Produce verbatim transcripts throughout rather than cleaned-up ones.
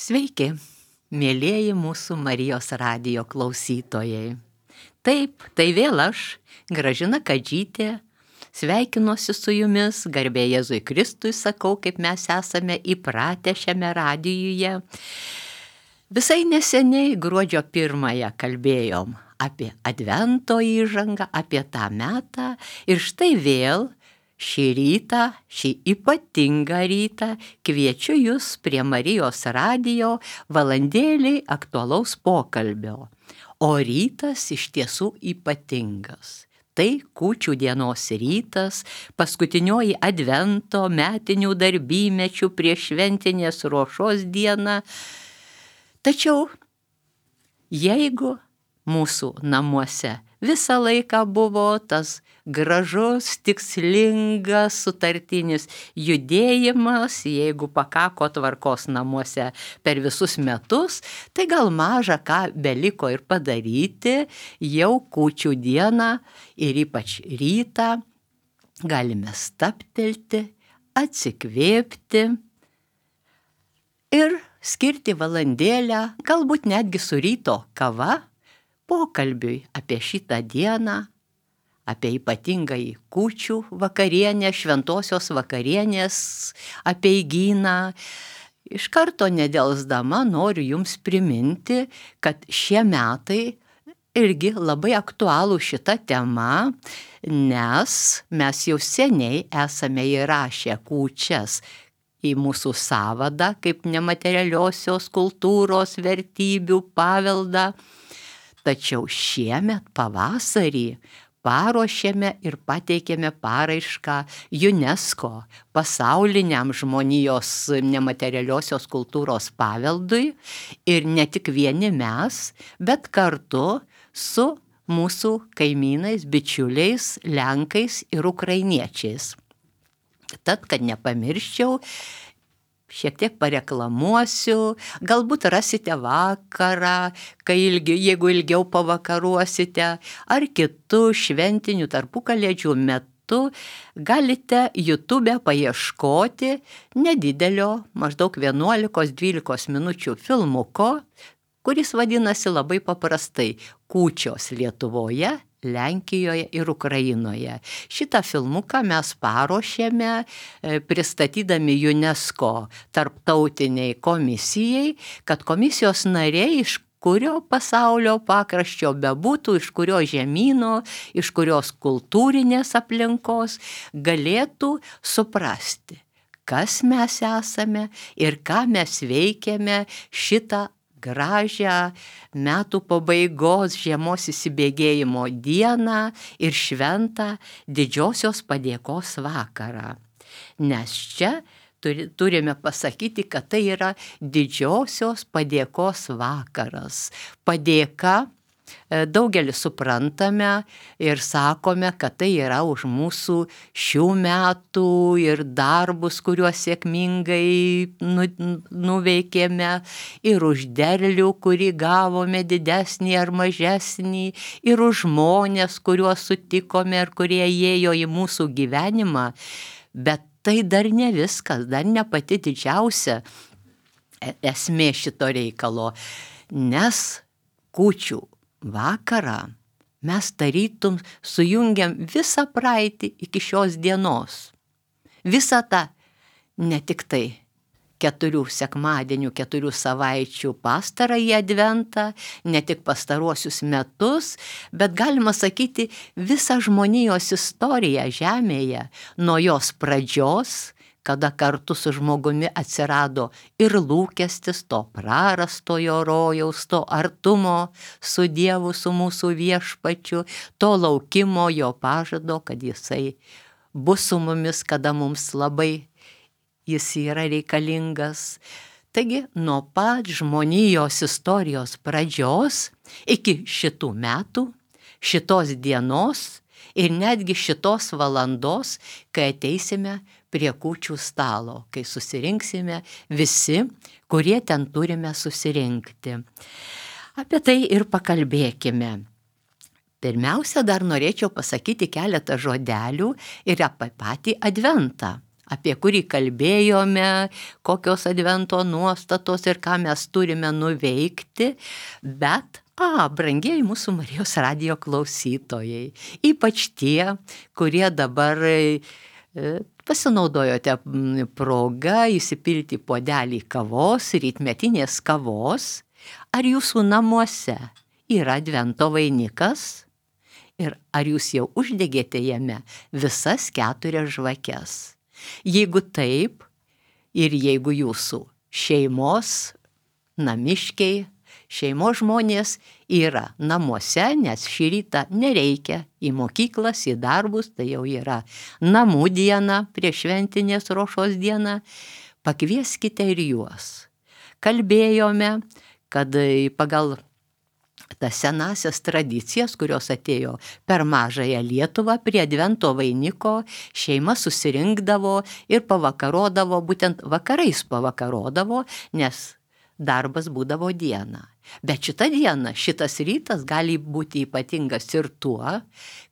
Sveiki, mėlieji mūsų Marijos radijo klausytojai. Taip, tai vėl aš, Gražina Kadžytė, sveikinuosi su jumis, garbė Jėzui Kristui sakau, kaip mes esame įpratę šiame radijuje. Visai neseniai gruodžio pirmąją kalbėjom apie Advento įžangą, apie tą metą ir štai vėl šį rytą, šį ypatingą rytą kviečiu jūs prie Marijos radijo valandėliai aktualaus pokalbio. O rytas iš tiesų ypatingas. Tai kūčių dienos rytas, paskutinioji Advento metinių darbymečių prieš šventinės ruošos diena. Tačiau jeigu mūsų namuose visą laiką buvo tas gražus, tikslingas, sutartinis judėjimas, jeigu pakako tvarkos namuose per visus metus, tai gal maža ką beliko ir padaryti, jau kūčių dieną ir ypač rytą galime stabtelti, atsikvėpti ir skirti valandėlę, galbūt netgi su ryto kava, pokalbiui apie šitą dieną, apie ypatingąjį kūčių vakarienę, šventosios vakarienės apeigyną. Iš karto nedelsdama noriu jums priminti, kad šie metai irgi labai aktualų šita tema, nes mes jau seniai esame įrašę kūčias į mūsų sąvadą kaip nematerialiosios kultūros vertybių paveldą. Tačiau šiemet pavasarį paruošėme ir pateikėme paraišką UNESCO pasauliniam žmonijos nematerialiosios kultūros paveldui ir ne tik vieni mes, bet kartu su mūsų kaimynais, bičiuliais, lenkais ir ukrainiečiais. Tad, kad nepamirščiau, šiek tiek pareklamuosiu, galbūt rasite vakarą, kai ilgi, jeigu ilgiau pavakaruosite, ar kitų šventinių tarpukalėdžių metu galite YouTube paieškoti nedidelio, maždaug vienuolikos dvylikos minučių filmuko, kuris vadinasi labai paprastai Kūčios Lietuvoje, Lenkijoje ir Ukrainoje. Šitą filmuką mes paruošėme pristatydami UNESCO tarptautiniai komisijai, kad komisijos nariai iš kurio pasaulio pakraščio bebūtų, iš kurio žemyno, iš kurios kultūrinės aplinkos galėtų suprasti, kas mes esame ir ką mes veikiame šitą gražią metų pabaigos žiemos įsibėgėjimo dieną ir šventą didžiosios padėkos vakarą. Nes čia turi, turime pasakyti, kad tai yra didžiosios padėkos vakaras. Padėka daugelis suprantame ir sakome, kad tai yra už mūsų šių metų ir darbus, kuriuos sėkmingai nu, nuveikėme, ir už derlių, kurį gavome didesnį ar mažesnį, ir už žmonės, kuriuos sutikome ir kurie įėjo į mūsų gyvenimą. Bet tai dar ne viskas, dar ne pati didžiausia esmė šito reikalo, nes kūčių vakarą mes tarytum sujungiam visą praeitį iki šios dienos. Visą tą ne tik tai keturių sekmadienių, keturių savaičių pastarąjį adventą, ne tik pastaruosius metus, bet galima sakyti visą žmonijos istoriją žemėje, nuo jos pradžios, kada kartu su žmogumi atsirado ir lūkestis to prarastojo rojaus, to artumo su Dievu, su mūsų viešpačiu, to laukimo jo pažado, kad jisai bus su mumis, kada mums labai jis yra reikalingas. Taigi, nuo pat žmonijos istorijos pradžios iki šitų metų, šitos dienos ir netgi šitos valandos, kai ateisime prie kūčių stalo, kai susirinksime visi, kurie ten turime susirinkti. Apie tai ir pakalbėkime. Pirmiausia, dar norėčiau pasakyti keletą žodelių ir apie patį adventą. apie kurį kalbėjome, kokios advento nuostatos ir ką mes turime nuveikti, bet, a, brangieji mūsų Marijos radijo klausytojai, ypač tie, kurie dabar e, pasinaudojote progą įsipilti puodelį kavos, rytmetinės kavos, ar jūsų namuose yra advento vainikas? Ir ar jūs jau uždegėte jame visas keturias žvakes? Jeigu taip, ir jeigu jūsų šeimos, namiškiai, šeimos žmonės yra namuose, nes šį rytą nereikia į mokyklas, į darbus, tai jau yra namų diena, prieš šventinės rošos dieną, pakvieskite ir juos. Kalbėjome, kad pagal tas senasias tradicijas, kurios atėjo per mažąją Lietuvą, prie advento vainiko šeima susirinkdavo ir pavakarodavo, būtent vakarais pavakarodavo, nes darbas būdavo dieną. Bet šitą dieną, šitas rytas gali būti ypatingas ir tuo,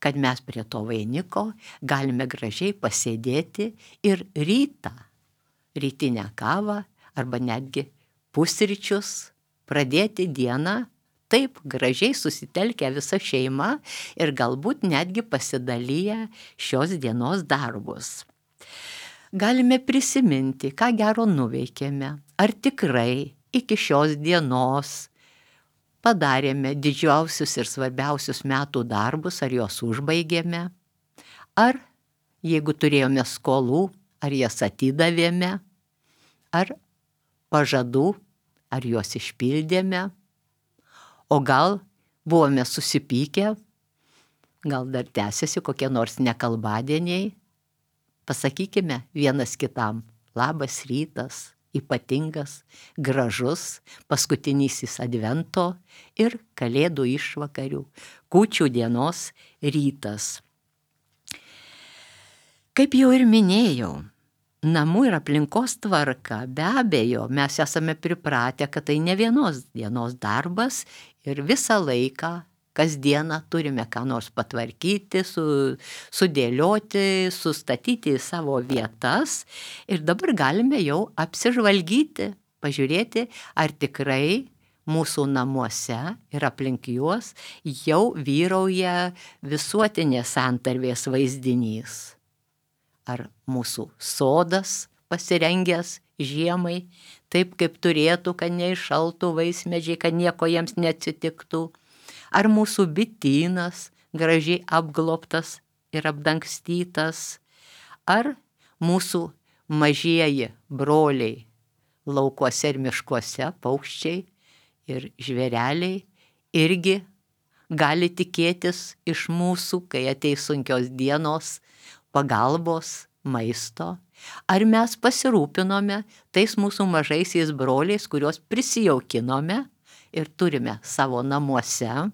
kad mes prie to vainiko galime gražiai pasėdėti ir rytą, rytinę kavą arba netgi pusryčius pradėti dieną taip gražiai susitelkę visa šeima ir galbūt netgi pasidalyję šios dienos darbus. Galime prisiminti, ką gero nuveikėme, ar tikrai iki šios dienos padarėme didžiausius ir svarbiausius metų darbus, ar juos užbaigėme, ar jeigu turėjome skolų, ar jas atidavėme, ar pažadų, ar juos išpildėme. O gal buvome susipykę, gal dar tęsiasi kokie nors nekalbadieniai. Pasakykime vienas kitam, labas rytas, ypatingas, gražus, paskutinysis advento ir kalėdų išvakarių, kūčių dienos rytas. Kaip jau ir minėjau, namų ir aplinkos tvarka, be abejo, mes esame pripratę, kad tai ne vienos dienos darbas ir visą laiką, kasdieną turime ką nors patvarkyti, su, sudėlioti, sustatyti į savo vietas ir dabar galime jau apsižvalgyti, pažiūrėti, ar tikrai mūsų namuose ir aplink juos jau vyrauja visuotinės santarvės vaizdinys. Ar mūsų sodas pasirengęs žiemai, taip kaip turėtų, kad neiššaltų vaismedžiai, kad nieko jiems neatsitiktų. Ar mūsų bitynas gražiai apglobtas ir apdangstytas. Ar mūsų mažieji broliai laukuose ir miškuose, paukščiai ir žvėreliai irgi gali tikėtis iš mūsų, kai ateis sunkios dienos, pagalbos, maisto. Ar mes pasirūpinome tais mūsų mažaisiais broliais, kuriuos prisijaukinome ir turime savo namuose?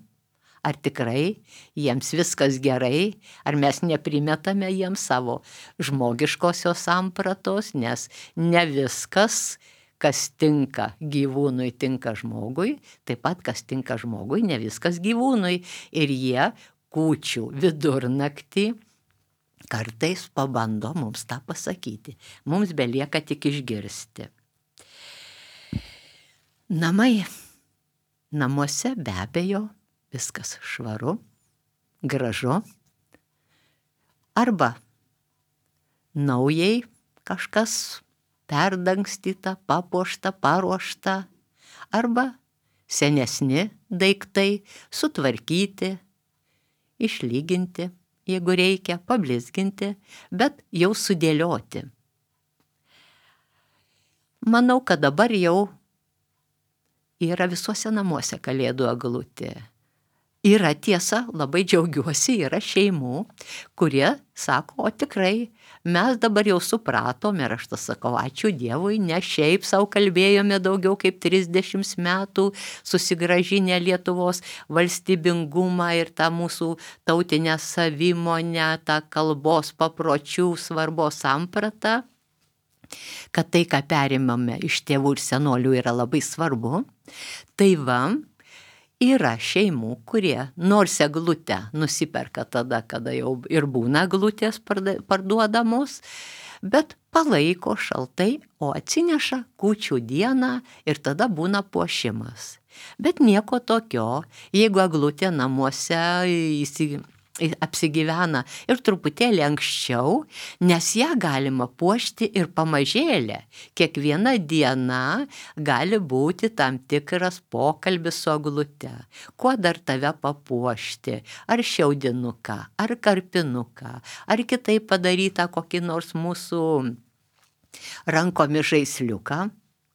Ar tikrai jiems viskas gerai? Ar mes neprimetame jiems savo žmogiškosios sampratos, nes ne viskas, kas tinka gyvūnui, tinka žmogui, taip pat kas tinka žmogui, ne viskas gyvūnui. Ir jie kūčių vidurnaktį kartais pabando mums tą pasakyti. Mums belieka tik išgirsti. Namai. Namuose be abejo viskas švaru, gražu. Arba naujai kažkas perdangstyta, papuošta, paruošta. Arba senesni daiktai sutvarkyti, išlyginti, jeigu reikia, pablizginti, bet jau sudėlioti. Manau, kad dabar jau yra visuose namuose kalėdų eglutė. Yra tiesa, labai džiaugiuosi, yra šeimų, kurie sako, o tikrai, mes dabar jau supratom ir aš tas sakau, ačiū Dievui, ne šiaip savo kalbėjome daugiau kaip trisdešimt metų, susigrąžinę Lietuvos valstybingumą ir tą mūsų tautinę savimonę, tą kalbos papročių svarbos sampratą, kad tai, ką perimame iš tėvų ir senolių, yra labai svarbu. Tai va, yra šeimų, kurie nors eglutę nusiperka tada, kada jau ir būna eglutės parduodamos, bet palaiko šaltai, o atsineša kūčių dieną ir tada būna puošimas. Bet nieko tokio, jeigu eglutė namuose įsi... apsigyvena ir truputėlį anksčiau, nes ją galima puošti ir pamažėlę. Kiekviena diena gali būti tam tikras pokalbis su eglute. Kuo dar tave papuošti? Ar šiaudinuką, ar karpinuką, ar kitaip padarytą kokį nors mūsų rankomis žaisliuką?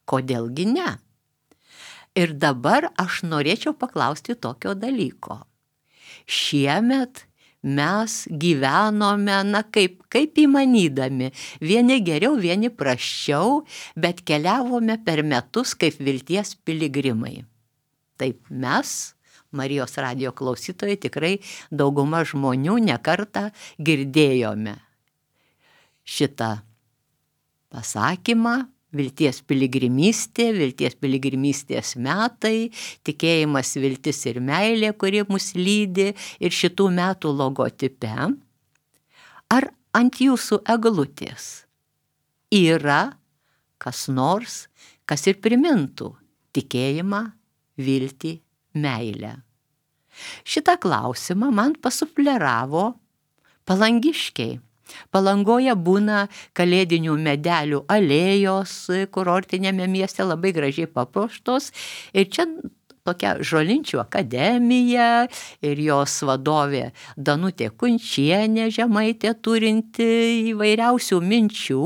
Kodėlgi ne? Ir dabar aš norėčiau paklausti tokio dalyko. Šiemet mes gyvenome, na kaip, kaip įmanydami, vieni geriau, vieni prasčiau, bet keliavome per metus kaip vilties piligrimai. Taip mes, Marijos radijo klausytojai, tikrai dauguma žmonių nekartą girdėjome šitą pasakymą. Vilties piligrimystė, vilties piligrimystės metai, tikėjimas, viltis ir meilė, kuri mus lydi ir šitų metų logotipe. Ar ant jūsų eglutės yra kas nors, kas ir primintų tikėjimą, viltį, meilę? Šitą klausimą man pasufleravo palangiškiai. Palangoje būna kalėdinių medelių alėjos kurortinėme mieste, labai gražiai papuoštos, ir čia tokia Žolinčių akademija ir jos vadovė Danutė Kunčienė Žemaitė, turinti įvairiausių minčių.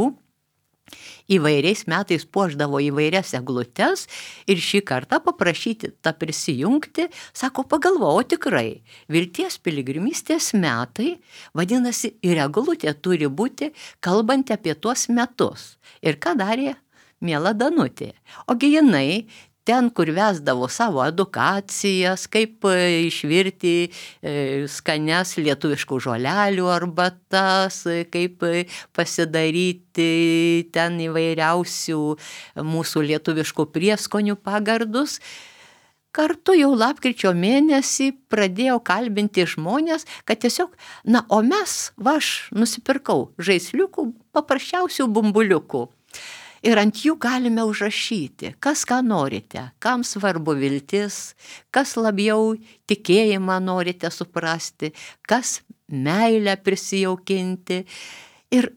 Įvairiais metais puošdavo įvairias eglutes ir šį kartą paprašyti tą prisijungti, sako, pagalvojau, tikrai, vilties piligrimystės metai, vadinasi, ir eglutė turi būti kalbanti apie tuos metus. Ir ką darė miela Danutė? Ogi jinai ten, kur vesdavo savo edukacijas, kaip išvirti skanias lietuviškų žolelių arbatas, kaip pasidaryti ten įvairiausių mūsų lietuviškų prieskonių pagardus. Kartu jau lapkričio mėnesį pradėjau kalbinti žmonės, kad tiesiog, na, o mes, va, aš nusipirkau žaisliukų, paprasčiausių bumbuliukų. Ir ant jų galime užrašyti, kas ką norite, kam svarbu viltis, kas labiau tikėjimą norite suprasti, kas meilę prisijaukinti. Ir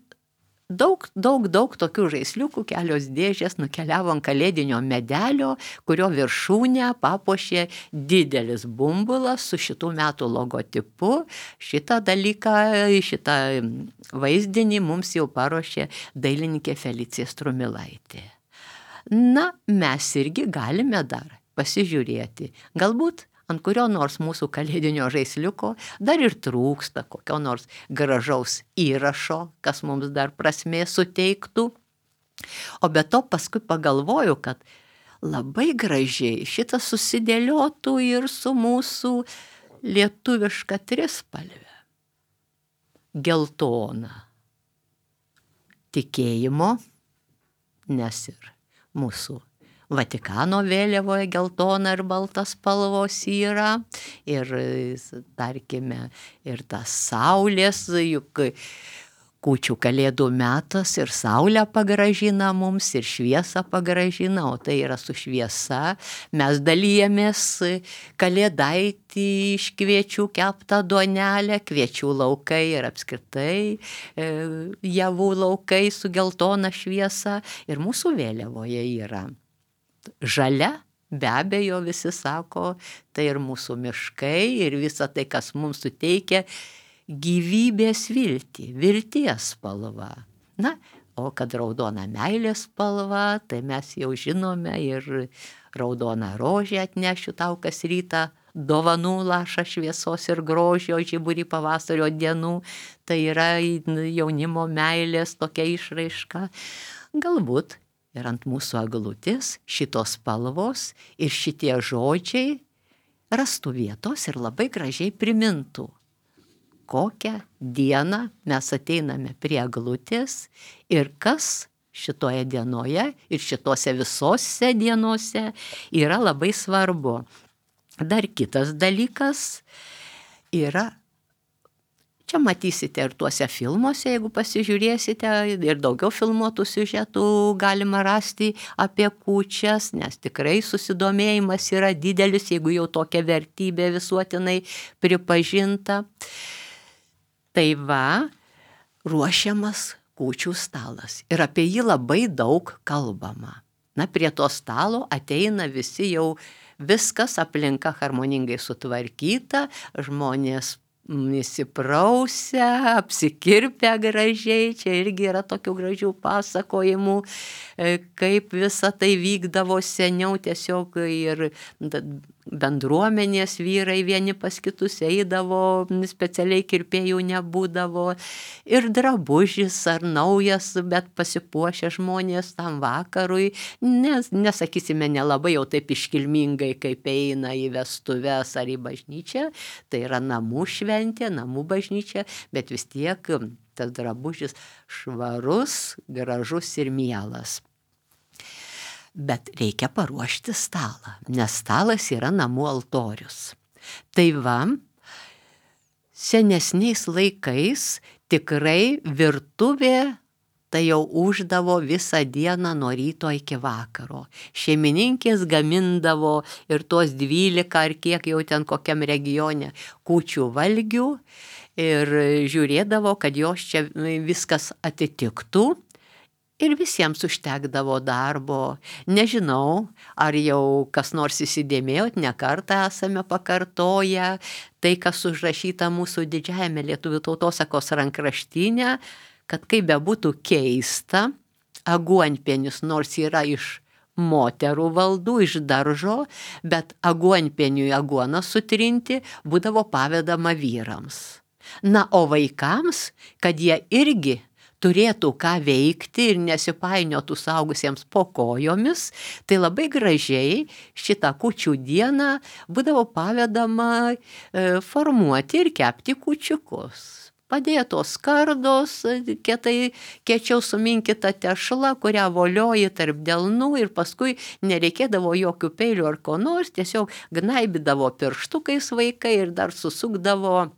daug, daug, daug tokių žaisliukų, kelios dėžės nukeliavo ant kalėdinio medelio, kurio viršūnę papuošė didelis bumbulas su šitų metų logotipu. Šitą dalyką, šitą vaizdinį mums jau paruošė dailininkė Felicija Strumilaitė. Na, mes irgi galime dar pasižiūrėti. Galbūt ant kurio nors mūsų kalėdinio žaisliuko dar ir trūksta kokio nors gražaus įrašo, kas mums dar prasmės suteiktų. O be to paskui pagalvoju, kad labai gražiai šitas susidėliotų ir su mūsų lietuviška trispalve. Geltona tikėjimo, nes ir mūsų Vatikano vėliavoje geltona ir balta spalvos yra, ir, tarkime, ir tas saulės, juk kūčių kalėdų metas ir saulę pagražina mums, ir šviesą pagražina, o tai yra su šviesa. Mes dalyjamės kalėdaitį iš kviečių keptą duonelę, kviečių laukai ir apskritai e, javų laukai su geltona šviesa, ir mūsų vėliavoje yra žalia, be abejo, visi sako, tai ir mūsų miškai, ir visa tai, kas mums suteikia gyvybės viltį, vilties spalva. Na, o kad raudona meilės spalva, tai mes jau žinome, ir raudona rožė atnešiu tau kas rytą dovanų lašą šviesos ir grožio žiburį pavasario dienų, tai yra jaunimo meilės tokia išraiška. Galbūt ir ant mūsų eglutės šitos spalvos ir šitie žodžiai rastų vietos ir labai gražiai primintų, kokią dieną mes ateiname prie eglutės ir kas šitoje dienoje ir šitose visose dienose yra labai svarbu. Dar kitas dalykas yra, Čia matysite ir tuose filmuose, jeigu pasižiūrėsite, ir daugiau filmuotų siužetų galima rasti apie kūčias, nes tikrai susidomėjimas yra didelis, jeigu jau tokia vertybė visuotinai pripažinta. Tai va, ruošiamas kūčių stalas ir apie jį labai daug kalbama. Na, prie to stalo ateina visi jau viskas, aplinka harmoningai sutvarkyta, žmonės įsiprausę, apsikirpę gražiai, čia irgi yra tokių gražių pasakojimų, kaip visa tai vykdavo seniau, tiesiog ir bendruomenės vyrai vieni pas kitus eidavo, specialiai kirpėjų nebūdavo, ir drabužis ar naujas, bet pasipuošę žmonės tam vakarui, nes, nesakysime, nelabai jau taip iškilmingai, kaip eina į vestuves ar į bažnyčią, tai yra namų šventė, namų bažnyčia, bet vis tiek tas drabužis švarus, gražus ir mielas. Bet reikia paruošti stalą, nes stalas yra namų altorius. Tai va, senesniais laikais tikrai virtuvė tai jau uždavo visą dieną nuo ryto iki vakaro. Šeimininkės gamindavo ir tuos dvylika ar kiek jau ten kokiam regione kūčių valgių ir žiūrėdavo, kad jos čia viskas atitiktų. Ir visiems užtekdavo darbo. Nežinau, ar jau kas nors įsidėmėjot, ne kartą esame pakartoję tai, kas užrašyta mūsų didžiajame lietuvių tautosakos rankraštyne, kad kaip bebūtų keista, aguonpienis nors yra iš moterų valdų, iš daržo, bet aguonpieniui aguoną sutrinti būdavo pavedama vyrams. Na, o vaikams, kad jie irgi turėtų ką veikti ir nesipainiotų suaugusiems po kojomis, tai labai gražiai šitą kūčių dieną būdavo pavedama e, formuoti ir kepti kūčiukus. Padėtos skardos, kietai kiečiau suminkyta tešla, kurią volioji tarp delnų ir paskui nereikėdavo jokių peilių ar ko nors, tiesiog gnaibydavo pirštukais vaikai ir dar susukdavo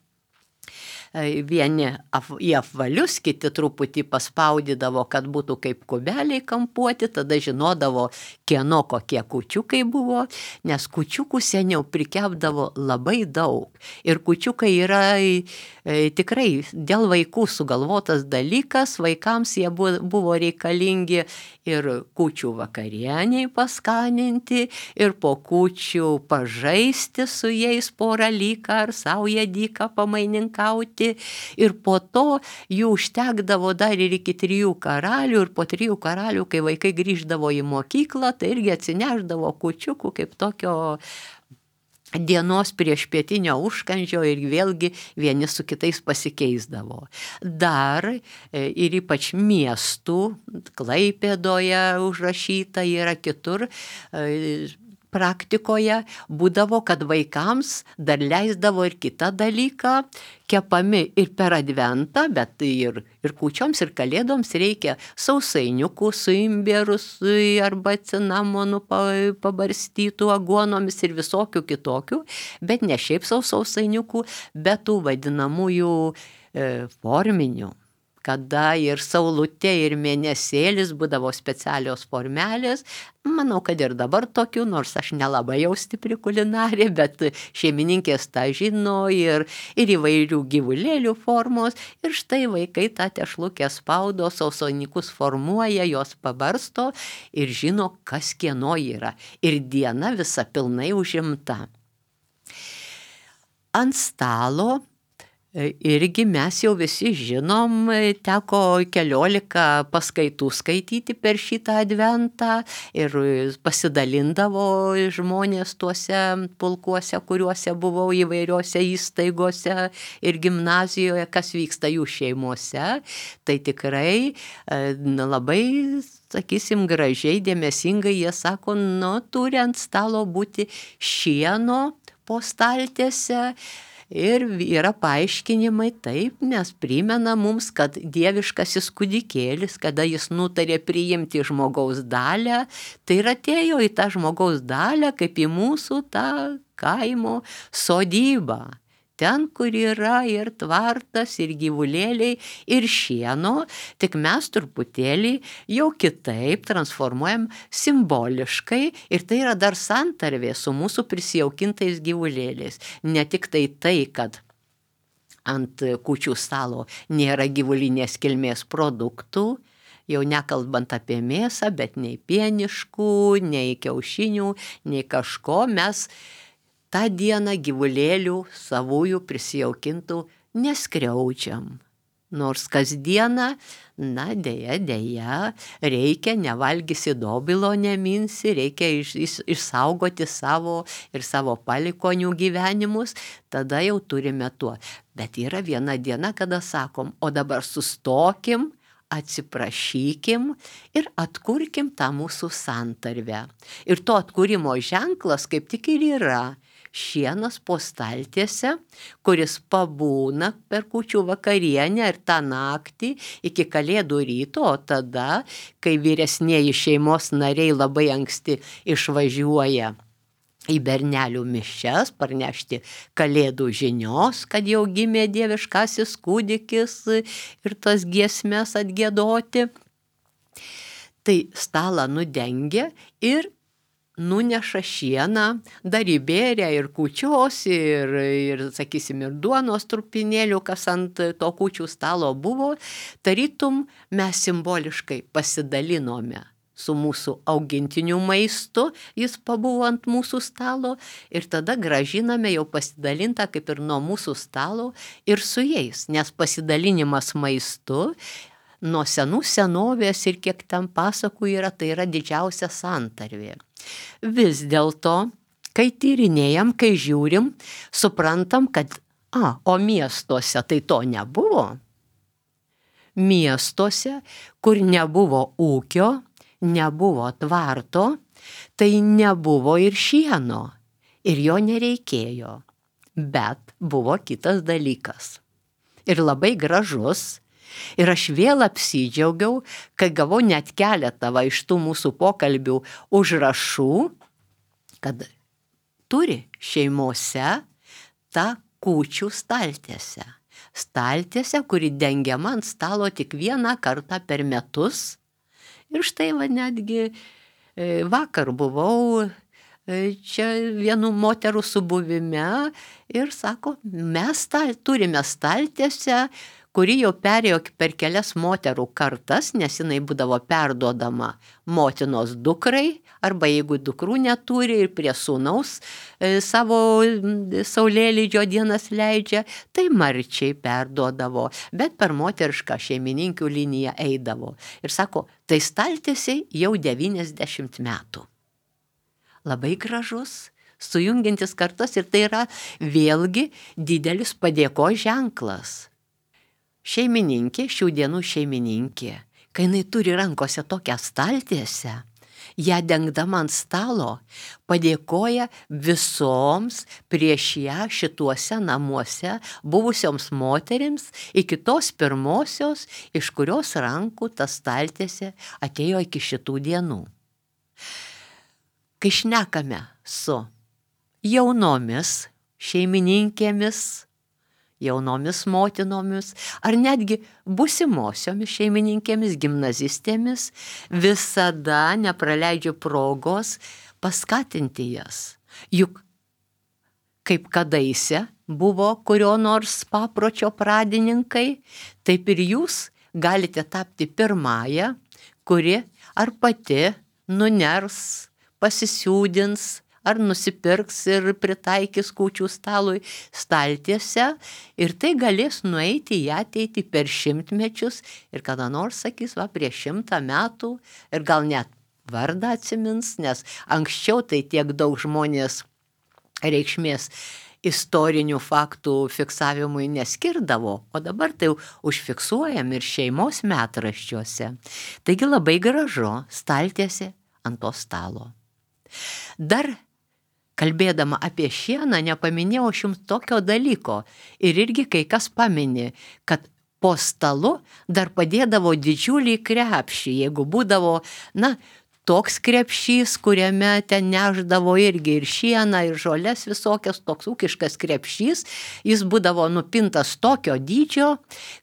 vieni į apvalius, kiti truputį paspaudydavo, kad būtų kaip kubeliai kampuoti, tada žinodavo, kieno kokie kūčiukai buvo, nes kūčiukų seniau prikepdavo labai daug. Ir kūčiukai yra e, tikrai dėl vaikų sugalvotas dalykas, vaikams jie buvo reikalingi ir kūčių vakarieniai paskaninti, ir po kūčių pažaisti su jais porą lyką ar saują dyką pamaininkauti. Ir po to jų užtekdavo dar ir iki trijų karalių, ir po trijų karalių, kai vaikai grįždavo į mokyklą, tai irgi atsineždavo kūčiukų kaip tokio dienos prieš pietinio užkandžio ir vėlgi vieni su kitais pasikeisdavo. Dar ir ypač miestų, Klaipėdoje užrašyta yra kitur, praktikoje būdavo, kad vaikams dar leisdavo ir kitą dalyką, kepami ir per adventą, bet ir, ir kūčioms, ir kalėdoms reikia sausainiukų su imbieru arba cinamonu pabarstytų aguonomis ir visokių kitokių, bet ne šiaip sau sausainiukų, bet tų vadinamųjų e, forminių, kada ir saulutė, ir mėnesėlis būdavo specialios formelės. Manau, kad ir dabar tokių, nors aš nelabai jau stipri kulinarė, bet šeimininkės tą žino ir, ir įvairių gyvulėlių formos. Ir štai vaikai tą tešlukę spaudo, sausainiukus formuoja, jos pabarsto ir žino, kas kieno yra. Ir diena visa pilnai užimta. Ant stalo irgi mes jau visi žinom, teko keliolika paskaitų skaityti per šitą adventą ir pasidalindavo žmonės tuose pulkuose, kuriuose buvau įvairiose įstaigose ir gimnazijoje, kas vyksta jų šeimose. Tai tikrai labai, sakysim, gražiai, dėmesingai jie sako, nu, turi ant stalo būti šieno po staltiese. Ir yra paaiškinimai taip, nes primena mums, kad dieviškasis kūdikėlis, kada jis nutarė priimti žmogaus dalią, tai ir atėjo į tą žmogaus dalią, kaip į mūsų tą kaimo sodybą. ten, kur yra ir tvartas, ir gyvulėliai, ir šieno, tik mes truputėlį jau kitaip transformuojam simboliškai ir tai yra dar santarvė su mūsų prisijaukintais gyvulėliais. Ne tik tai tai, kad ant kūčių stalo nėra gyvulinės kilmės produktų, jau nekalbant apie mėsą, bet nei pieniškų, nei kiaušinių, nei kažko mes tą dieną gyvulėlių savųjų prisijaukintų neskriaudžiam. Nors kasdieną, na, dėja, dėja, reikia, nevalgysi dobilo neminsi, reikia iš, iš, išsaugoti savo ir savo palikonių gyvenimus, tada jau turime tuo. Bet yra viena diena, kada sakom, o dabar sustokim, atsiprašykim ir atkurkim tą mūsų santarvę. Ir to atkūrimo ženklas kaip tik ir yra šienas po staltiese, kuris pabūna per kūčių vakarienę ir tą naktį iki kalėdų ryto, o tada, kai vyresnieji šeimos nariai labai anksti išvažiuoja į bernelių mišias, parnešti kalėdų žinios, kad jau gimė dieviškasis kūdikis ir tas giesmes atgiedoti, tai stalą nudengia ir nuneša šieną, dar įbėrė ir kūčios, ir, ir, sakysim, ir duonos trupinėlių, kas ant to kūčių stalo buvo, tarytum mes simboliškai pasidalinome su mūsų augintinių maistu, jis pabuvo ant mūsų stalo ir tada gražiname jau pasidalintą kaip ir nuo mūsų stalo ir su jais, nes pasidalinimas maistu nuo senų senovės ir kiek ten pasakų yra, tai yra didžiausia santarvė. Vis dėlto, kai tyrinėjam, kai žiūrim, suprantam, kad, a, o miestuose tai to nebuvo. Miestuose, kur nebuvo ūkio, nebuvo tvarto, tai nebuvo ir šieno, ir jo nereikėjo. Bet buvo kitas dalykas. Ir labai gražus. Ir aš vėl apsidžiaugiau, kai gavau net keletą va iš tų mūsų pokalbių užrašų, kad turi šeimose tą kūčių staltiesę. Staltiesę, kuri dengiama ant stalo tik vieną kartą per metus. Ir štai va netgi vakar buvau čia vienų moterų subuvime ir sako, mes stal, turime staltiesę, kuri jau perėjo per kelias moterų kartas, nes jinai būdavo perduodama motinos dukrai, arba jeigu dukrų neturi ir prie sūnaus e, savo saulėlydžio dienas leidžia, tai marčiai perduodavo, bet per moterišką šeimininkių liniją eidavo. Ir sako, tai staltiesei jau devyniasdešimt metų. Labai gražus, sujungiantis kartas ir tai yra vėlgi didelis padėkos ženklas. Šeimininkė, šių dienų šeimininkė, kai jinai turi rankose tokią staltiesę, ją dengdama ant stalo, padėkoja visoms prieš ją šituose namuose buvusioms moterims iki tos pirmosios, iš kurios rankų ta staltiesė atėjo iki šitų dienų. Kai šnekame su jaunomis šeimininkėmis, jaunomis motinomis, ar netgi busimosiomis šeimininkėmis, gimnazistėmis, visada nepraleidžiu progos paskatinti jas. Juk kaip kadaise buvo kurio nors papročio pradininkai, taip ir jūs galite tapti pirmąją, kuri ar pati nuners, pasisiūdins, ar nusipirks ir pritaikys kūčių stalui staltiesę ir tai galės nueiti į ateitį per šimtmečius ir kada nors sakys, va, prieš šimtą metų ir gal net vardą atsimins, nes anksčiau tai tiek daug žmonės reikšmės istorinių faktų fiksavimui neskirdavo, o dabar tai užfiksuojam ir šeimos metraščiuose. Taigi labai gražu staltiesė ant to stalo. Dar kalbėdama apie šieną, nepaminėjau aš jums tokio dalyko. Ir irgi kai kas pamini, kad po stalu dar padėdavo didžiulį krepšį, jeigu būdavo, na, toks krepšys, kuriame ten neždavo irgi ir šieną, ir žolės visokias, toks ūkiškas krepšys, jis būdavo nupintas tokio dydžio,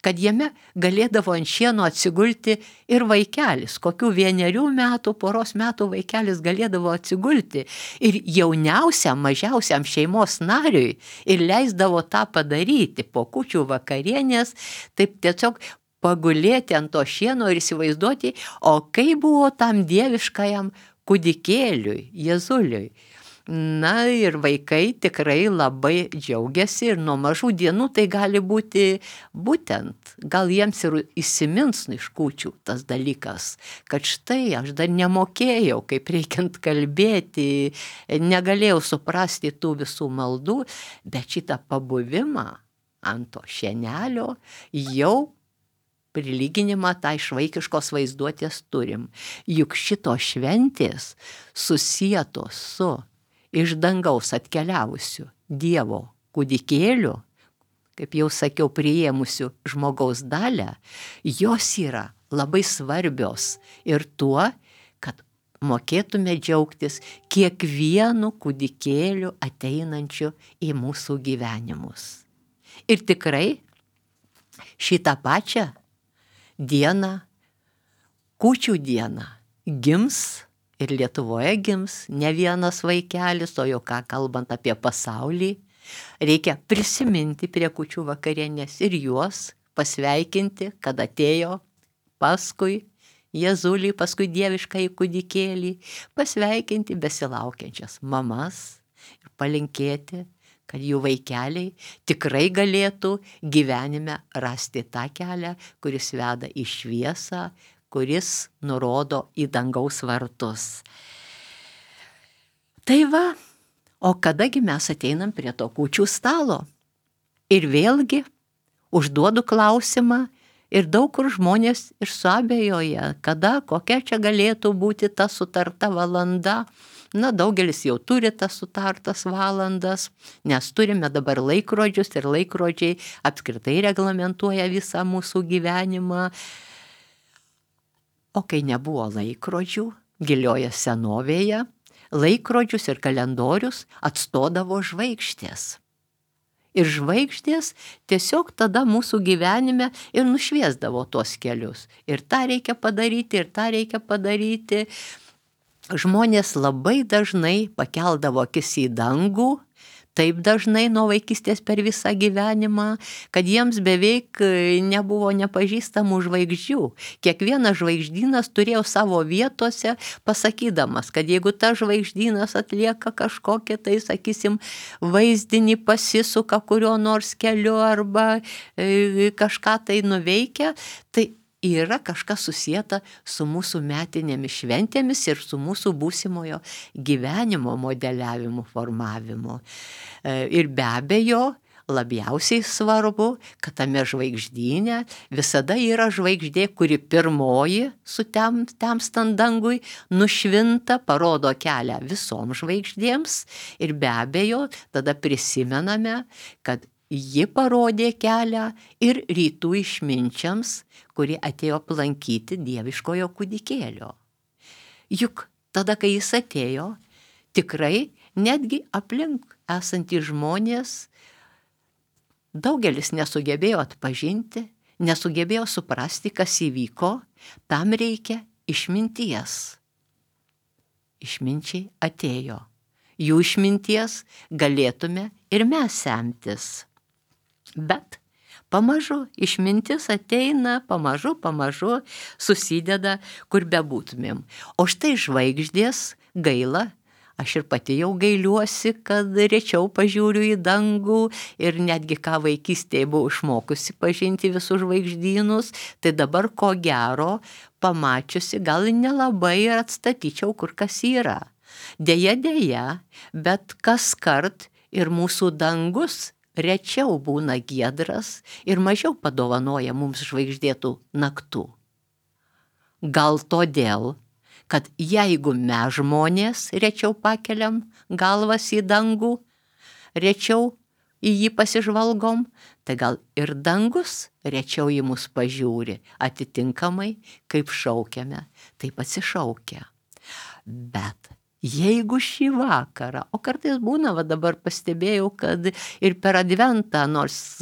kad jame galėdavo ant šieno atsigulti ir vaikelis, kokių vienerių metų, poros metų vaikelis galėdavo atsigulti. Ir jauniausiam, mažiausiam šeimos nariui ir leisdavo tą padaryti po kūčių vakarienės, taip tiesiog pagulėti ant to šieno ir įsivaizduoti, o kaip buvo tam dieviškajam kūdikėliui, Jėzuliui. Na ir vaikai tikrai labai džiaugiasi ir nuo mažų dienų tai gali būti būtent, gal jiems ir įsimins iš kūčių tas dalykas, kad štai aš dar nemokėjau, kaip reikiant kalbėti, negalėjau suprasti tų visų maldų, bet šitą pabuvimą ant to šienelio jau prilyginimą tai iš vaikiškos vaizduotės turim. Juk šitos šventės susietos su iš dangaus atkeliavusiu Dievo kūdikėliu, kaip jau sakiau, priėmusiu žmogaus dalią, jos yra labai svarbios ir tuo, kad mokėtume džiaugtis kiekvienu kūdikėliu ateinančiu į mūsų gyvenimus. Ir tikrai šitą pačią dieną, kūčių dieną, gims ir Lietuvoje gims ne vienas vaikelis, o jau ką kalbant apie pasaulį, reikia prisiminti prie kūčių vakarienės ir juos pasveikinti, kad atėjo paskui Jėzulį, paskui dieviškąjį kūdikėlį, pasveikinti besilaukiančias mamas ir palinkėti, kad jų vaikeliai tikrai galėtų gyvenime rasti tą kelią, kuris veda į šviesą, kuris nurodo į dangaus vartus. Tai va, o kadagi mes ateinam prie to kūčių stalo? Ir vėlgi užduodu klausimą ir daug kur žmonės ir suabejoja, kada, kokia čia galėtų būti ta sutarta valanda. Na, daugelis jau turi tas sutartas valandas, nes turime dabar laikrodžius ir laikrodžiai apskritai reglamentuoja visą mūsų gyvenimą. O kai nebuvo laikrodžių, gilioje senovėje, laikrodžius ir kalendorius atstodavo žvaigždės. Ir žvaigždės tiesiog tada mūsų gyvenime ir nušviesdavo tuos kelius. Ir tą reikia padaryti, ir tą reikia padaryti. Žmonės labai dažnai pakeldavo akis į dangų, taip dažnai nuo vaikystės per visą gyvenimą, kad jiems beveik nebuvo nepažįstamų žvaigždžių. Kiekvienas žvaigždynas turėjo savo vietose, pasakydamas, kad jeigu ta žvaigždynas atlieka kažkokią, tai sakysim, vaizdinį pasisuka kurio nors keliu arba e, kažką tai nuveikia, tai yra kažkas susieta su mūsų metinėmis šventėmis ir su mūsų būsimojo gyvenimo modeliavimu, formavimu. Ir be abejo, labiausiai svarbu, kad tame žvaigždyne visada yra žvaigždė, kuri pirmoji su tem, temstant dangui nušvinta, parodo kelią visom žvaigždėms ir be abejo tada prisimename, kad ji parodė kelią ir rytų išminčiams, kurie atėjo aplankyti dieviškojo kūdikėlio. Juk tada, kai jis atėjo, tikrai netgi aplink esantys žmonės daugelis nesugebėjo atpažinti, nesugebėjo suprasti, kas įvyko, tam reikia išminties. Išminčiai atėjo. Jų išminties galėtume ir mes semtis. Bet pamažu išmintis ateina, pamažu, pamažu susideda, kur bebūtumėm. O štai žvaigždės gaila, aš ir pati jau gailiuosi, kad rečiau pažiūriu į dangų ir netgi ką vaikystėje buvau išmokusi pažinti visus žvaigždynus, tai dabar ko gero pamačiusi gal nelabai ir atstatyčiau, kur kas yra. Deja, deja, bet kaskart ir mūsų dangus rečiau būna giedras ir mažiau padovanoja mums žvaigždėtų naktų. Gal todėl, kad jeigu mes žmonės rečiau pakeliam galvas į dangų, rečiau į jį pasižvalgom, tai gal ir dangus rečiau į mus pažiūri, atitinkamai, kaip šaukiame, taip atsišaukia. Bet jeigu šį vakarą, o kartais būna, va dabar pastebėjau, kad ir per adventą, nors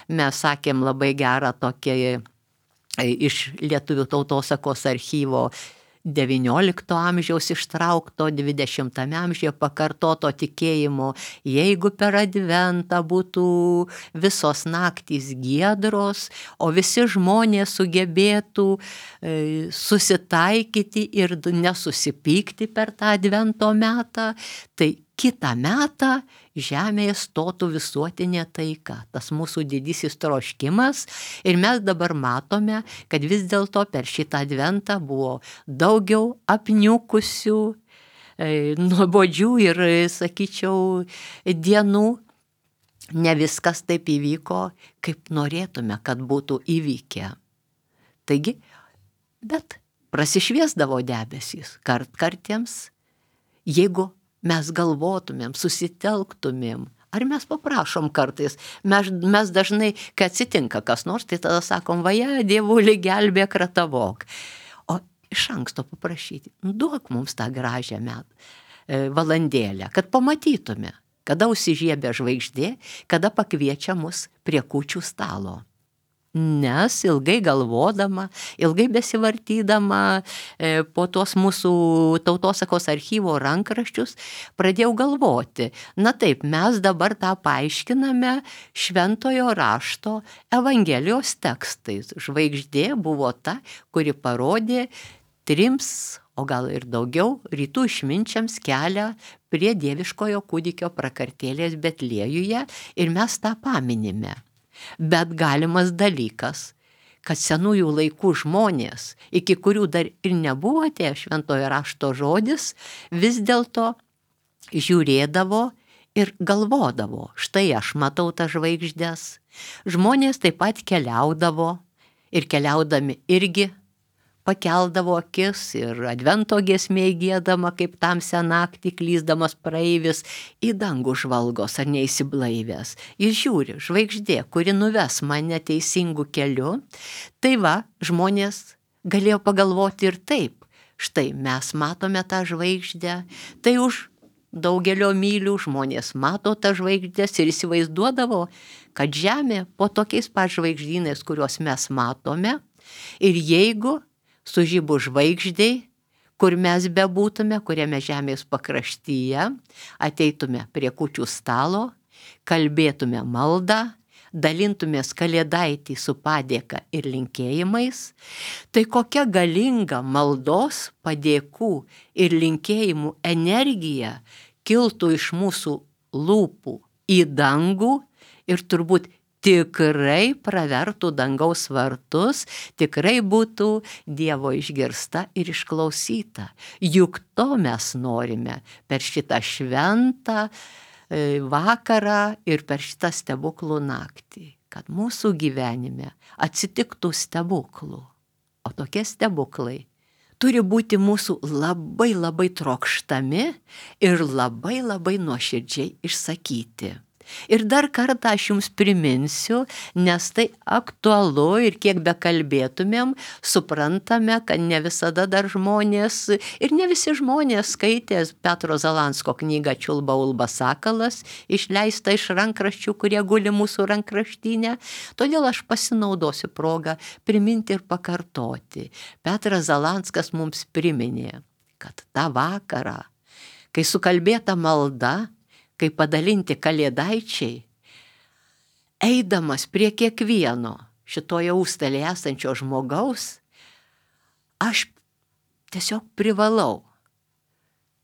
mes sakėm labai gerą tokį iš Lietuvių tautosakos archyvo devyniolikto amžiaus ištraukto, dvidešimtame amžiuje pakartoto tikėjimo, jeigu per adventą būtų visos naktys giedros, o visi žmonės sugebėtų e, susitaikyti ir nesusipykti per tą advento metą, tai kitą metą žemėje stotų visuotinė taika, tas mūsų didysis troškimas. Ir mes dabar matome, kad vis dėlto per šitą adventą buvo daugiau apniukusių, e, nuobodžių ir, sakyčiau, dienų. Ne viskas taip įvyko, kaip norėtume, kad būtų įvykę. Taigi, bet prasišviesdavo debesys kartkartiems, jeigu mes galvotumėm, susitelktumėm, ar mes paprašom kartais, mes, mes dažnai, kai atsitinka kas nors, tai tada sakom, vaja, Dievuli, gelbėk, ratavok. O iš anksto paprašyti, duok mums tą gražią met, e, valandėlę, kad pamatytume, kada užsižiebia žvaigždė, kada pakviečia mus prie kūčių stalo. Nes ilgai galvodama, ilgai besivartydama e, po tuos mūsų tautosakos archyvo rankraščius, pradėjau galvoti, na taip, mes dabar tą paaiškiname šventojo rašto Evangelijos tekstais. Žvaigždė buvo ta, kuri parodė trims, o gal ir daugiau, rytų išminčiams kelią prie dieviškojo kūdikio prakartėlės Betliejuje ir mes tą paminime. Bet galimas dalykas, kad senųjų laikų žmonės, iki kurių dar ir nebuvo atėję šventojo rašto žodis, vis dėlto žiūrėdavo ir galvodavo, štai aš matau tas žvaigždes. Žmonės taip pat keliaudavo ir keliaudami irgi pakeldavo akis ir advento giesmė giedama, kaip tamsią naktį klysdamas praeivis į dangų žvalgos ar neįsiblaivęs. Jis žiūri, žvaigždė, kuri nuves mane teisingu keliu. Tai va, žmonės galėjo pagalvoti ir taip. Štai mes matome tą žvaigždę, tai už daugelio mylių žmonės mato tą žvaigždės ir įsivaizduodavo, kad Žemė po tokiais pat žvaigždynais, kuriuos mes matome, ir jeigu sužybu žvaigždei, kur mes bebūtume, kuriame žemės pakraštyje, ateitume prie kūčių stalo, kalbėtume maldą, dalintumės kalėdaitį su padėka ir linkėjimais, tai kokia galinga maldos, padėkų ir linkėjimų energija kiltų iš mūsų lūpų į dangų ir turbūt tikrai pravertų dangaus vartus, tikrai būtų Dievo išgirsta ir išklausyta. Juk to mes norime per šitą šventą vakarą ir per šitą stebuklų naktį, kad mūsų gyvenime atsitiktų stebuklų. O tokie stebuklai turi būti mūsų labai labai trokštami ir labai labai nuoširdžiai išsakyti. Ir dar kartą aš jums priminsiu, nes tai aktualu ir kiek bekalbėtumėm, suprantame, kad ne visada dar žmonės ir ne visi žmonės skaitė Petro Zalansko knygą Čiulba Ulba Sakalas, išleista iš rankraščių, kurie guli mūsų rankraštyne. Todėl aš pasinaudosiu progą priminti ir pakartoti. Petras Zalanskas mums priminė, kad tą vakarą, kai sukalbėta malda, kai padalinti kalėdaičiai, eidamas prie kiekvieno šitoje užstalėje esančio žmogaus, aš tiesiog privalau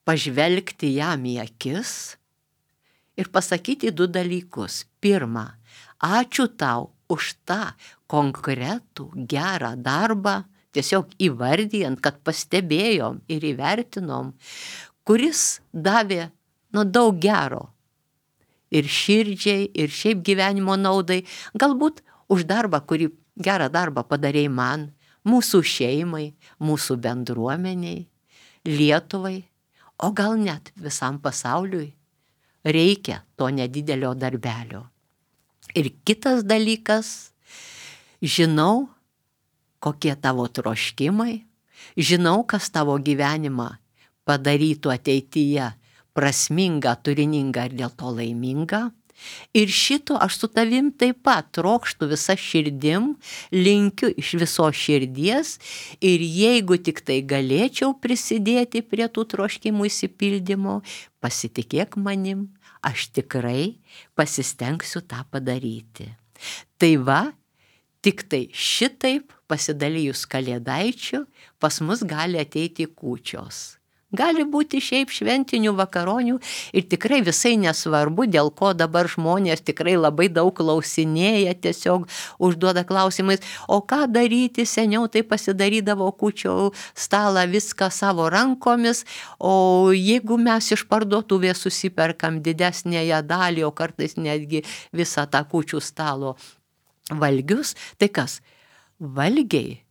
pažvelgti jam į akis ir pasakyti du dalykus. Pirma, ačiū tau už tą konkretų gerą darbą, tiesiog įvardijant, kad pastebėjom ir įvertinom, kuris davė nu daug gero ir širdžiai, ir šiaip gyvenimo naudai, galbūt už darbą, kurį gerą darbą padarei man, mūsų šeimai, mūsų bendruomeniai, Lietuvai, o gal net visam pasauliui reikia to nedidelio darbelio. Ir kitas dalykas, žinau, kokie tavo troškimai, žinau, kas tavo gyvenimą padarytų ateityje prasmingą, turiningą ir dėl to laimingą. Ir šito aš su tavim taip pat trokštų visą širdim, linkiu iš viso širdies ir jeigu tik tai galėčiau prisidėti prie tų troškimų išsipildymo, pasitikėk manim, aš tikrai pasistengsiu tą padaryti. Tai va, tik tai šitaip pasidalijus Kalėdaičiu pas mus gali ateiti kūčios. Gali būti šiaip šventinių vakaronių ir tikrai visai nesvarbu, dėl ko dabar žmonės tikrai labai daug klausinėja, tiesiog užduoda klausimais, o ką daryti, seniau tai pasidarydavo kūčių stalą viską savo rankomis, o jeigu mes iš parduotuvės susiperkam didesnėje dalį, o kartais netgi visą tą kūčių stalo valgius, tai kas? Valgiai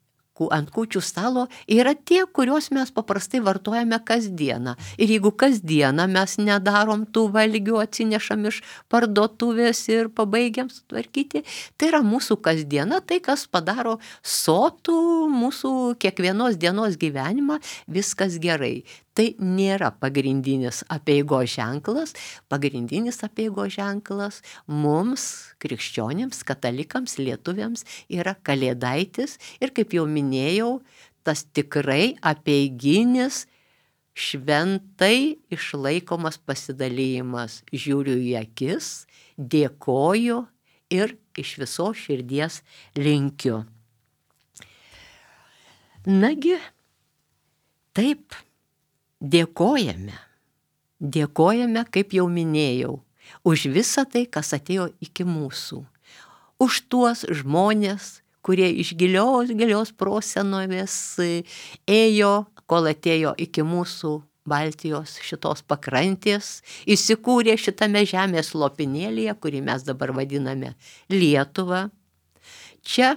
ant kūčių stalo yra tie, kuriuos mes paprastai vartojame kasdieną. Ir jeigu kasdieną mes nedarom tų valgių, atsinešam iš parduotuvės ir pabaigiam sutvarkyti, tai yra mūsų kasdiena, tai kas padaro sotų mūsų kiekvienos dienos gyvenimą, viskas gerai. Tai nėra pagrindinis apeigos ženklas, pagrindinis apeigos ženklas mums, krikščionims, katalikams, lietuviams yra Kalėdaitis ir kaip jau minėjau, tas tikrai apeiginis, šventai išlaikomas pasidalymas. Žiūriu į akis, dėkoju ir iš visos širdies linkiu. Nagi, taip. Dėkojame, dėkojame, kaip jau minėjau, už visą tai, kas atėjo iki mūsų, už tuos žmonės, kurie iš gilios, gilios prosenovės ėjo, kol atėjo iki mūsų Baltijos šitos pakrantės, įsikūrė šitame žemės lopinėlyje, kurį mes dabar vadiname Lietuva. Čia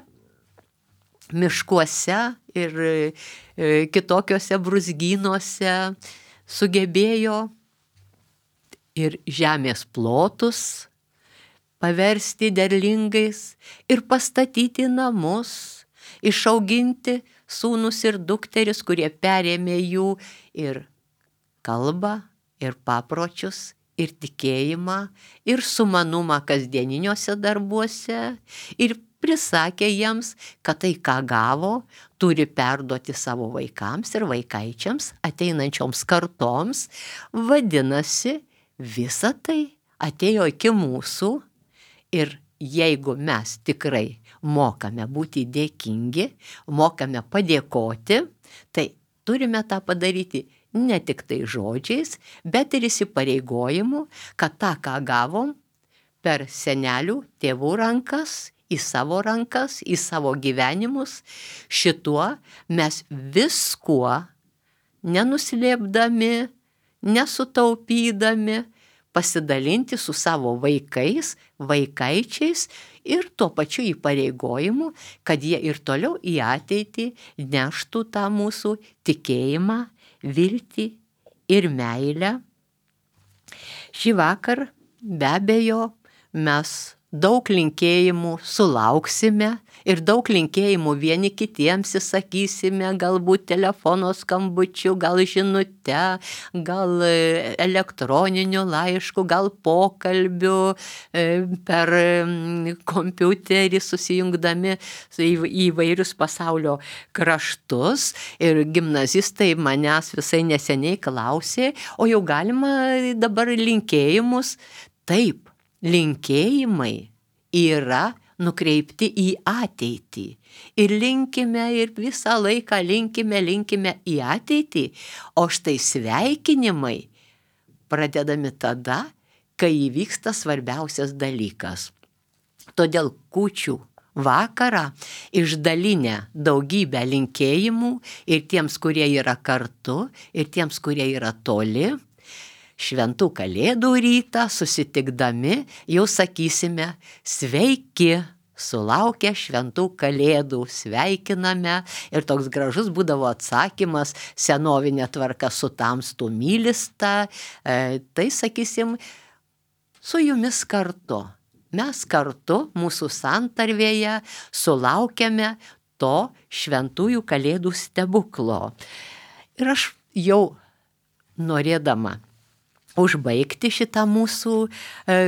miškuose ir kitokiuose brūzgynuose sugebėjo ir žemės plotus paversti derlingais ir pastatyti namus, išauginti sūnus ir dukteris, kurie perėmė jų ir kalbą, ir papročius, ir tikėjimą, ir sumanumą kasdieniniuose darbuose, ir prisakė jiems, kad tai, ką gavo, turi perduoti savo vaikams ir vaikaičiams, ateinančioms kartoms. Vadinasi, visa tai atėjo iki mūsų ir jeigu mes tikrai mokame būti dėkingi, mokame padėkoti, tai turime tą padaryti ne tik tai žodžiais, bet ir įsipareigojimu, kad tą, ką gavom per senelių, tėvų rankas, į savo rankas, į savo gyvenimus, šituo mes viskuo, nenuslėpdami, nesutaupydami, pasidalinti su savo vaikais, vaikaičiais ir tuo pačiu įpareigojimu, kad jie ir toliau į ateitį neštų tą mūsų tikėjimą, viltį ir meilę. Šį vakar be abejo mes daug linkėjimų sulauksime ir daug linkėjimų vieni kitiems įsakysime, galbūt telefono skambučiu, gal žinute, gal elektroniniu laišku, gal pokalbiu per kompiuterį susijungdami į įvairius pasaulio kraštus. Ir gimnazistai manęs visai neseniai klausė, o jau galima dabar linkėjimus? Taip. Linkėjimai yra nukreipti į ateitį. Ir linkime, ir visą laiką linkime, linkime į ateitį. O štai sveikinimai pradedami tada, kai įvyksta svarbiausias dalykas. Todėl kūčių vakarą išdalinę daugybę linkėjimų ir tiems, kurie yra kartu, ir tiems, kurie yra toli, šventų kalėdų rytą susitikdami jau sakysime sveiki, sulaukę šventų kalėdų, sveikiname. Ir toks gražus būdavo atsakymas, senovinė tvarka su tamstu mylista, e, tai sakysim, su jumis kartu. Mes kartu mūsų santarvėje sulaukiame to šventųjų kalėdų stebuklo. Ir aš jau norėdama užbaigti šitą mūsų e,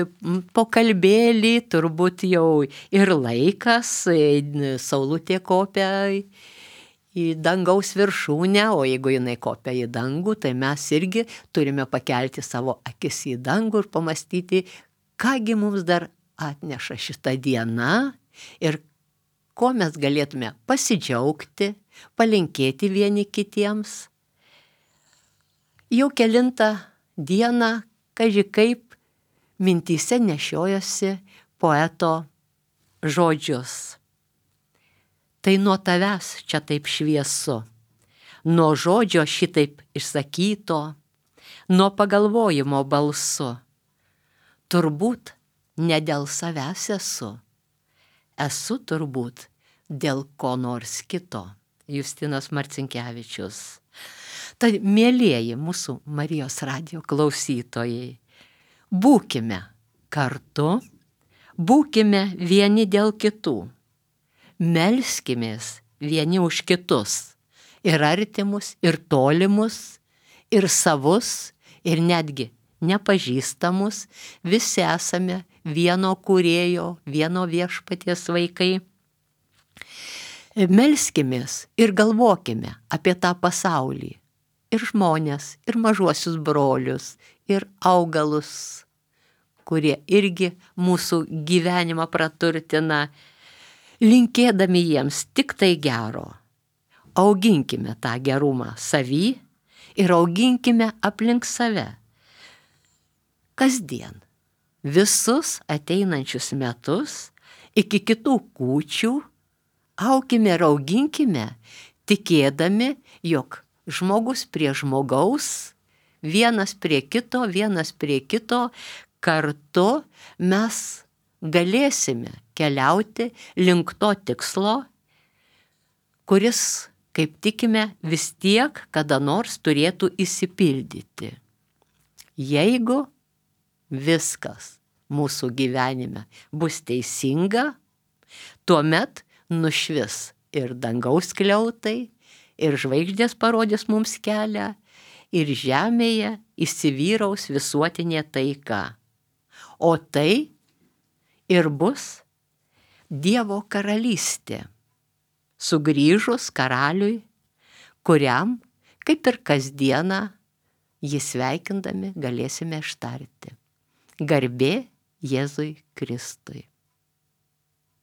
pokalbėlį, turbūt jau ir laikas, e, saulutė kopia į dangaus viršūnę, o jeigu jinai kopia į dangų, tai mes irgi turime pakelti savo akis į dangų ir pamastyti, kągi mums dar atneša šitą dieną ir ko mes galėtume pasidžiaugti, palinkėti vieni kitiems. Jau kelintą dieną, kaži kaip, mintyse nešiojosi poeto žodžius. Tai nuo tavęs čia taip šviesu, nuo žodžio šitaip išsakyto, nuo pagalvojimo balsu. Turbūt ne dėl savęs esu, esu turbūt dėl ko nors kito. Justinas Marcinkevičius. Tai mielieji mūsų Marijos radijo klausytojai, būkime kartu, būkime vieni dėl kitų, melskimės vieni už kitus, ir artimus, ir tolimus, ir savus, ir netgi nepažįstamus, visi esame vieno kūrėjo, vieno viešpaties vaikai. Melskimės ir galvokime apie tą pasaulį, ir žmonės, ir mažuosius brolius, ir augalus, kurie irgi mūsų gyvenimą praturtina, linkėdami jiems tik tai gero. Auginkime tą gerumą savy ir auginkime aplink save. Kasdien, visus ateinančius metus, iki kitų kūčių, aukime ir auginkime, tikėdami, jog žmogus prie žmogaus, vienas prie kito, vienas prie kito, kartu mes galėsime keliauti link to tikslo, kuris, kaip tikime, vis tiek kada nors turėtų išsipildyti. Jeigu viskas mūsų gyvenime bus teisinga, tuomet nušvis ir dangaus skliautai, ir žvaigždės parodys mums kelią, ir žemėje įsivyraus visuotinė taika. O tai ir bus Dievo karalystė, sugrįžus karaliui, kuriam, kaip ir kasdieną, jį sveikindami galėsime ištarti. Garbė Jėzui Kristui.